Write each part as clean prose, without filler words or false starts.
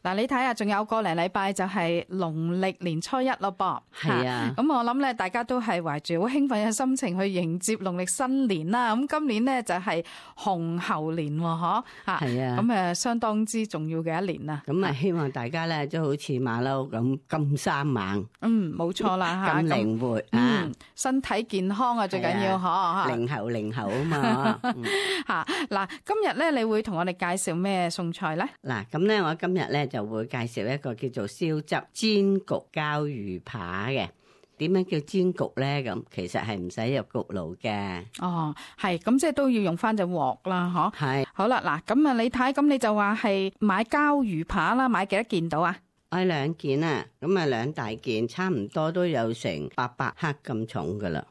嗱，你睇下，仲有個零禮拜就係農曆年初一咯噃。係啊，咁我諗咧，大家都係懷住好興奮嘅心情去迎接農曆新年啦。咁今年呢，就係紅猴年喎，嗬。係啊。咁相當之重要嘅一年啦。咁啊，希望大家咧都好似馬騮咁咁生猛。冇錯啦嚇。咁靈活身體健康啊，最緊要嗬。靈猴啊嘛。嗱，今日咧，你會同我哋介紹咩餸菜咧？嗱，咁咧，我今日咧就會介紹一個叫做燒汁煎焗膠魚扒嘅。點樣叫煎焗咧？咁其實係唔使入焗爐嘅。哦，係，咁即係都要用翻隻鑊啦，嗬。係。好啦，嗱，咁啊，你睇，咁你就話係買膠魚扒啦，買幾多件到啊？我2件啊，咁啊2大件，差唔多都有成800克咁重噶啦。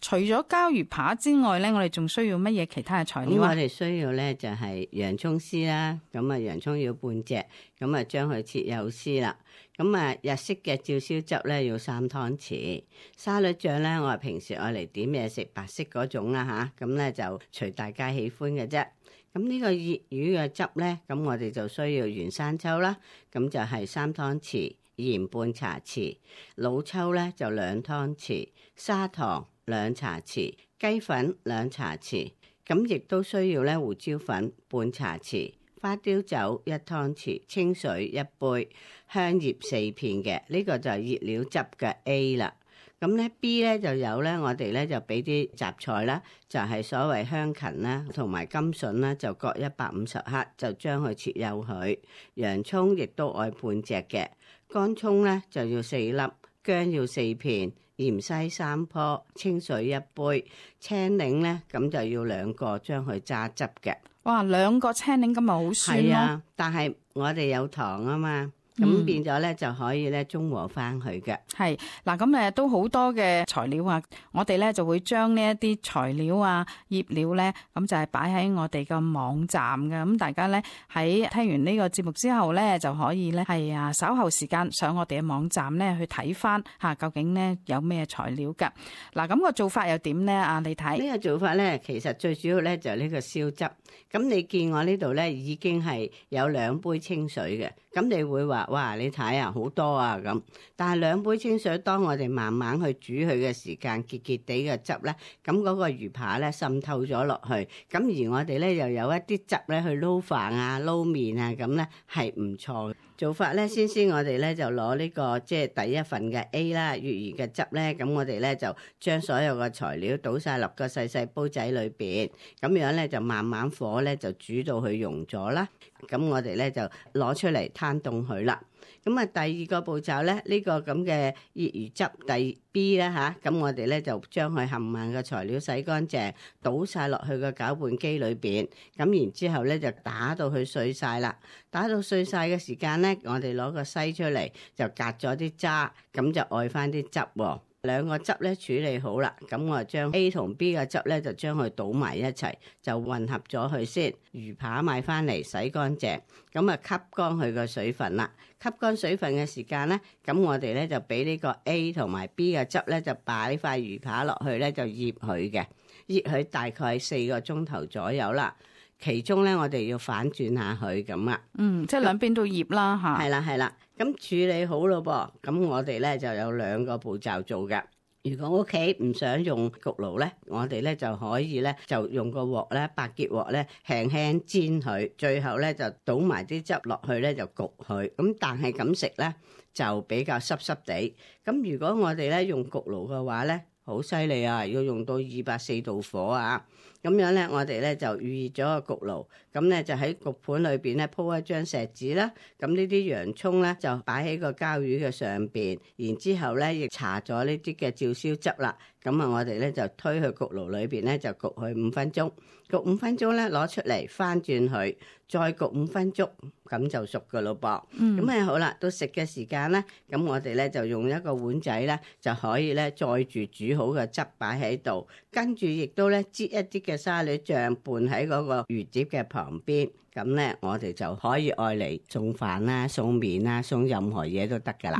除咗膠魚扒之外咧，我哋仲需要乜嘢其他嘅材料啊？我哋需要咧就係洋葱絲啦，咁啊洋葱要半隻，咁啊將佢切幼絲啦。咁啊日式嘅照燒汁咧要3湯匙，沙律醬咧我係平時愛嚟點嘢食白色嗰種啦吓，咁咧就隨大家喜歡嘅啫。咁呢個熱魚嘅汁咧，咁我哋就需要原生抽啦，咁就係3湯匙，鹽半茶匙，老抽咧就2湯匙，砂糖2茶匙，雞粉2茶匙，咁亦都需要咧胡椒粉半茶匙，花雕酒1湯匙，清水1杯，香葉4片嘅，呢個就係熱料汁嘅 A 啦。咁咧 B 咧就有咧，我哋咧就俾啲雜菜啦，就係所謂香芹啦，同埋甘筍啦，就各150克，就將佢切幼佢。洋葱亦都愛半隻嘅，乾葱咧就要4粒，薑要4片，芫茜3棵，清水1杯，青檸咧咁就要2個，將佢揸汁嘅。哇，2個青檸咁咪好酸咯。係啊，但係我哋有糖啊嘛。咁變咗咧就可以咧中和翻佢嘅。係嗱，咁都好多嘅材料啊！我哋咧就會將呢一啲材料啊、醃料咧，咁就係擺喺我哋嘅網站嘅。咁大家咧喺聽完呢個節目之後咧，就可以咧係稍後時間上我哋嘅網站咧去睇翻究竟咧有咩材料㗎。嗱，咁個做法又點咧？你睇呢個做法咧，其實最主要咧就係呢個燒汁。咁你見我呢度咧已經係有2杯清水嘅，咁你會話哇，你睇啊好多啊咁。但係2杯清水，當我哋慢慢去煮佢嘅時間，結結地嘅汁咧，咁嗰個魚扒咧滲透咗落去。咁而我哋咧又有一啲汁咧去撈飯啊、撈麵啊，咁咧係唔錯嘅。做法咧，先我哋咧就攞呢個即係第一份嘅 A 啦，粵魚嘅汁咧，咁我哋咧就將所有嘅材料倒晒落個細細煲仔裏邊，咁樣咧就慢慢火咧就煮到佢溶咗啦。咁我哋咧就攞出嚟攤凍佢啦。咁啊，第二個步驟咧，呢個咁嘅熱魚汁第 B 啦吓，咁我哋咧就將佢冚唪嘅材料洗乾淨，倒晒落去個攪拌機裏邊，咁然之後咧就打到佢碎晒啦。打到碎晒嘅時間咧，我哋攞個篩出嚟就隔咗啲渣，咁就愛翻啲汁喎。2個汁咧處理好啦，咁我就將 A 同 B 嘅汁咧就將佢倒埋一齊，就混合咗佢先。魚扒買翻嚟洗乾淨，咁啊吸乾佢個水分啦。吸乾水分嘅時間咧，咁我哋咧就俾呢個 A 同埋 B 嘅汁咧就擺塊魚扒落去咧就醃佢嘅，醃佢大概4個鐘頭左右啦。其中咧我哋要反轉下佢咁啊，即係兩邊都醃啦吓。係啦，咁處理好咯噃，咁我哋咧就有2個步驟做嘅。如果屋企唔想用焗爐咧，我哋咧就可以咧就用個鑊咧白潔鑊咧輕輕煎佢，最後咧就倒埋啲汁落去咧就焗佢。咁但係咁食咧就比較濕濕地。咁如果我哋咧用焗爐嘅話咧，好犀利啊！要用到240度火啊！咁樣咧，我哋咧就預熱咗個焗爐，咁咧就喺焗盤裏邊咧鋪一張錫紙啦。咁呢啲洋葱咧就擺喺個膠魚嘅上邊，然之後咧亦搽咗呢啲嘅照燒汁啦。咁啊，我哋咧就推去焗爐裏邊咧就焗佢5分鐘。焗5分鐘咧攞出嚟翻轉佢，再焗5分鐘，咁就熟噶咯噃。咁好啦，到食嘅時間咧，咁我哋咧就用一個碗仔咧就可以咧載住煮好嘅汁擺喺度，跟住亦都咧擠一啲嘅沙律醬拌喺嗰個魚碟嘅旁邊。咁咧我哋就可以愛嚟送飯啦、送麵啦、送任何嘢都得噶啦。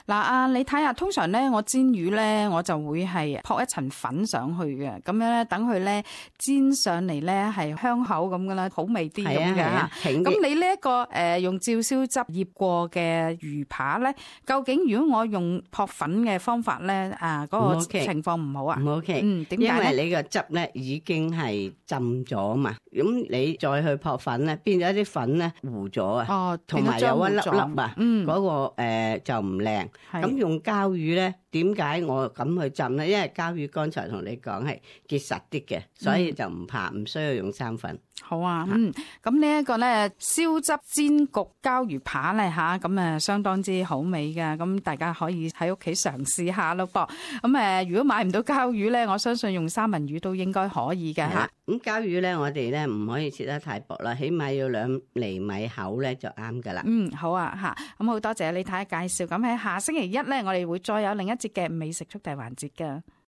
嗱，你睇下，通常咧我煎魚咧，我就會係撲一層粉上去嘅，咁樣咧等佢咧煎上嚟咧係香口咁噶啦，好味啲咁嘅。咁你呢一個用照燒汁醃過嘅魚扒咧，究竟如果我用撲粉嘅方法咧，嗰個情況唔好啊？唔 OK，點解？因為你個汁咧已經係浸咗嘛，咁你再去撲粉咧，變咗啲粉咧糊咗啊，同埋有一粒粒啊，嗰個就唔靚。咁用膠魚咧，點解我咁去浸咧？因為膠魚剛才同你講係結實啲嘅，所以就唔怕，唔需要用生粉。好啊，咁呢一個咧燒汁煎焗膠魚扒咧咁相當之好味㗎，咁大家可以喺屋企嘗試下咯噃。咁如果買唔到膠魚咧，我相信用三文魚都應該可以嘅嚇。咁膠魚咧，我哋咧唔可以切得太薄啦，起碼要2厘米厚咧就啱噶啦。好啊，咁好多謝李太介紹。咁喺下星期一咧，我哋會再有另一節嘅美食速遞環節㗎。